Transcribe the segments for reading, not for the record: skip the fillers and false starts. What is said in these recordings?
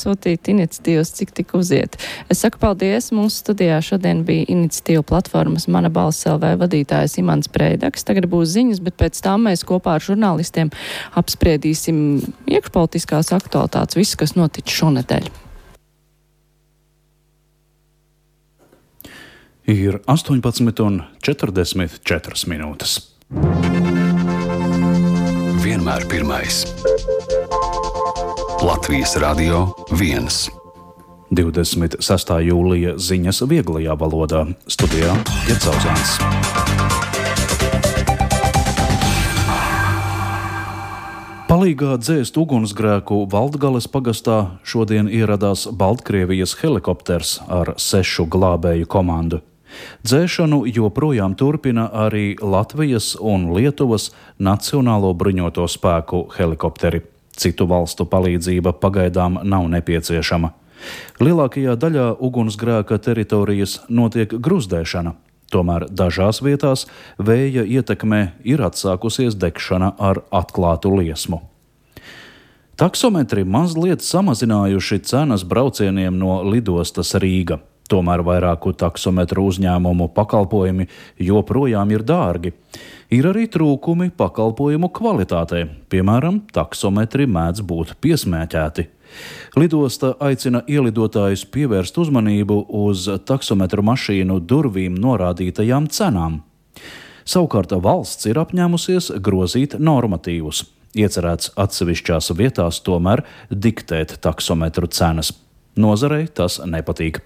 sūtīt iniciatīvas, cik tik uziet. Es saku paldies. Mūsu studijā šodien bija iniciatīva platformas Mana balss LV vadītājs Imants Preidaks. Tagad būs ziņas, bet pēc tam mēs kopā ar žurnālistiem apspriedīsim iekšpolitiskās aktualitātes, visu, kas noticis šonedēļ. Ir 18:44 minūtes. Vienmēr pirmais. Latvijas Radio 1. 26. jūlija ziņas vieglajā valodā. Studijā Ģercauzāns. Palīgā dzēst ugunsgrēku Valdgales pagastā šodien ieradās Baltkrievijas helikopters ar 6 glābēju komandu. Dzēšanu joprojām turpina arī Latvijas un Lietuvas Nacionālo bruņoto spēku helikopteri. Citu valstu palīdzība pagaidām nav nepieciešama. Lielākajā daļā ugunsgrēka teritorijas notiek gruzdēšana, tomēr dažās vietās vēja ietekmē ir atsākusies degšana ar atklātu liesmu. Taksometri mazliet samazinājuši cenas braucieniem no lidostas Rīga. Tomēr vairāku taksometru uzņēmumu pakalpojumi joprojām ir dārgi. Ir arī trūkumi pakalpojumu kvalitātē, piemēram, taksometri mēdz būt piesmēķēti. Lidosta aicina ielidotājus pievērst uzmanību uz taksometru mašīnu durvīm norādītajām cenām. Savukārt valsts ir apņēmusies grozīt normatīvus. Iecerēts atsevišķās vietās tomēr diktēt taksometru cenas. Nozarei tas nepatīk.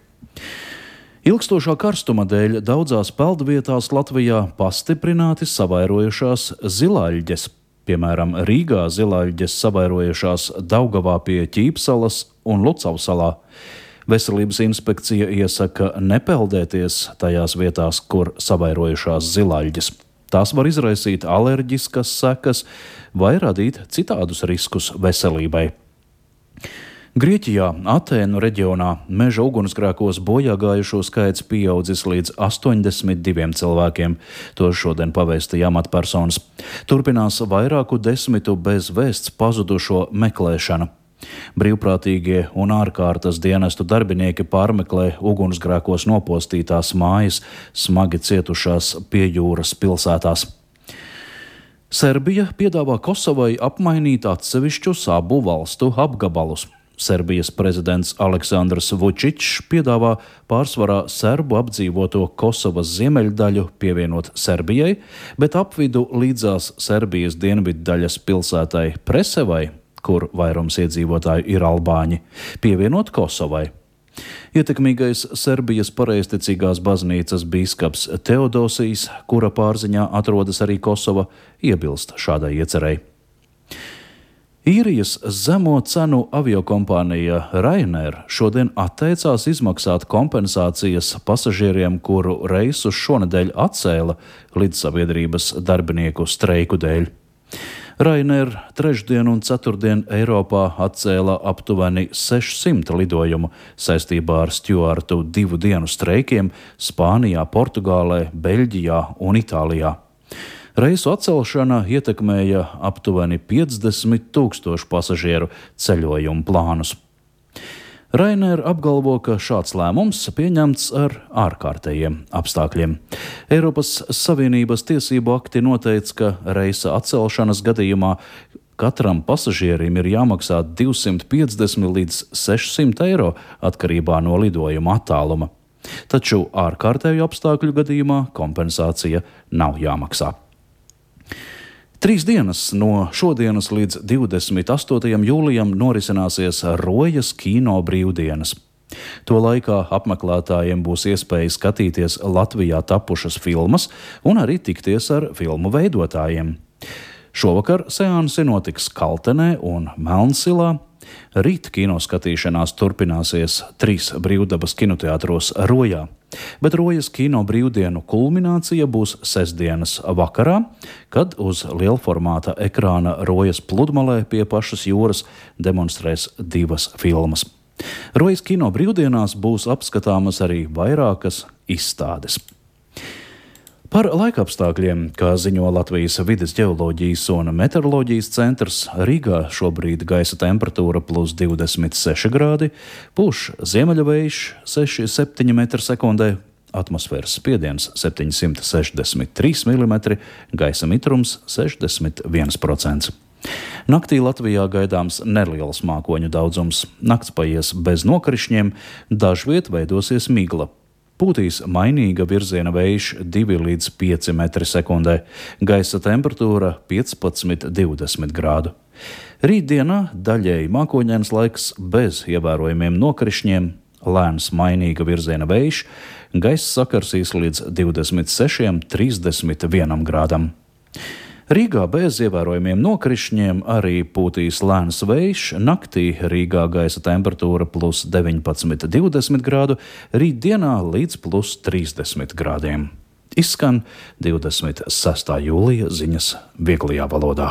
Ilgstošā karstuma dēļ daudzās peldvietās Latvijā pastiprināti savairojušās zilāļģes. Piemēram, Rīgā zilāļģes savairojušās Daugavā pie Ķīpsalas un Lucavsalā. Veselības inspekcija iesaka nepeldēties tajās vietās, kur savairojušās zilāļģes. Tās var izraisīt alerģiskas sekas vai radīt citādus riskus veselībai. Grieķijā, Atēnu reģionā, meža ugunsgrēkos bojāgājušo skaits pieaudzis līdz 82 cilvēkiem. To šodien pavēstīja amatpersonas. Turpinās vairāku desmitu bez vēsts pazudušo meklēšana. Brīvprātīgie un ārkārtas dienestu darbinieki pārmeklē ugunsgrēkos nopostītās mājas, smagi cietušās pie jūras pilsētās. Serbija piedāvā Kosovai apmainīt atsevišķus abu valstu apgabalus. Serbijas prezidents Aleksandrs Vučičs piedāvā pārsvarā serbu apdzīvoto Kosovas ziemeļdaļu pievienot Serbijai, bet apvidu līdzās Serbijas dienviddaļas pilsētai Presevai, kur vairums iedzīvotāju ir albāņi, pievienot Kosovai. Ietekmīgais Serbijas pareizticīgās baznīcas bīskaps Teodosijs, kura pārziņā atrodas arī Kosova, iebilst šādai iecerei. Īrijas zemo cenu aviokompānija Ryanair šodien atteicās izmaksāt kompensācijas pasažieriem, kuru reisus šonedēļ atcēla lidsabiedrības darbinieku streiku dēļ. Ryanair trešdien un ceturtdien Eiropā atcēla aptuveni 600 lidojumu saistībā ar stjuartu 2 dienu streikiem Spānijā, Portugālē, Beļģijā un Itālijā. Reisu atcelšana ietekmēja aptuveni 50 000 pasažieru ceļojumu plānus. Ryanair apgalvo, ka šāds lēmums pieņemts ar ārkārtējiem apstākļiem. Eiropas Savienības tiesību akti noteica, ka reisa atcelšanas gadījumā katram pasažierim ir jāmaksā 250 līdz 600 eiro atkarībā no lidojuma attāluma. Taču ārkārtēju apstākļu gadījumā kompensācija nav jāmaksā. 3 dienas no šodienas līdz 28. jūlijam norisināsies Rojas kino brīvdienas. To laikā apmeklētājiem būs iespēja skatīties Latvijā tapušas filmas un arī tikties ar filmu veidotājiem. Šovakar seansi notiks Kaltenē un Melnsilā. Rīt kino skatīšanās turpināsies 3 brīvdabas kinoteātros Rojā, bet Rojas kino brīvdienu kulminācija būs sestdienas vakarā, kad uz lielformāta ekrāna Rojas pludmalē pie pašas jūras demonstrēs 2 filmas. Rojas kino brīvdienās būs apskatāmas arī vairākas izstādes. Par laikapstākļiem, kā ziņo Latvijas vides ģeoloģijas un meteoroloģijas centrs, Rīgā šobrīd gaisa temperatūra plus 26 grādi, pūš ziemeļvējš 6,7 m/sekundē, atmosfēras spiediens 763 mm, gaisa mitrums 61%. Naktī Latvijā gaidāms neliels mākoņu daudzums. Nakts paies bez nokrišņiem, dažviet veidosies migla. Pūtīs mainīga virziena vējš 2 līdz 5 m/sekundē, gaisa temperatūra 15–20 grādu. Rītdienā daļēji mākoņains laiks bez ievērojamiem nokrišņiem, lēns mainīga virziena vējš, gaisa sakarsīs līdz 26–31 grādam. Rīgā bez ievērojamiem nokrišņiem arī pūtīs lēns vējš, naktī Rīgā gaisa temperatūra plus 19–20 grādu, rītdienā līdz plus 30 grādiem. Izskan 26. jūlija ziņas vieglajā valodā.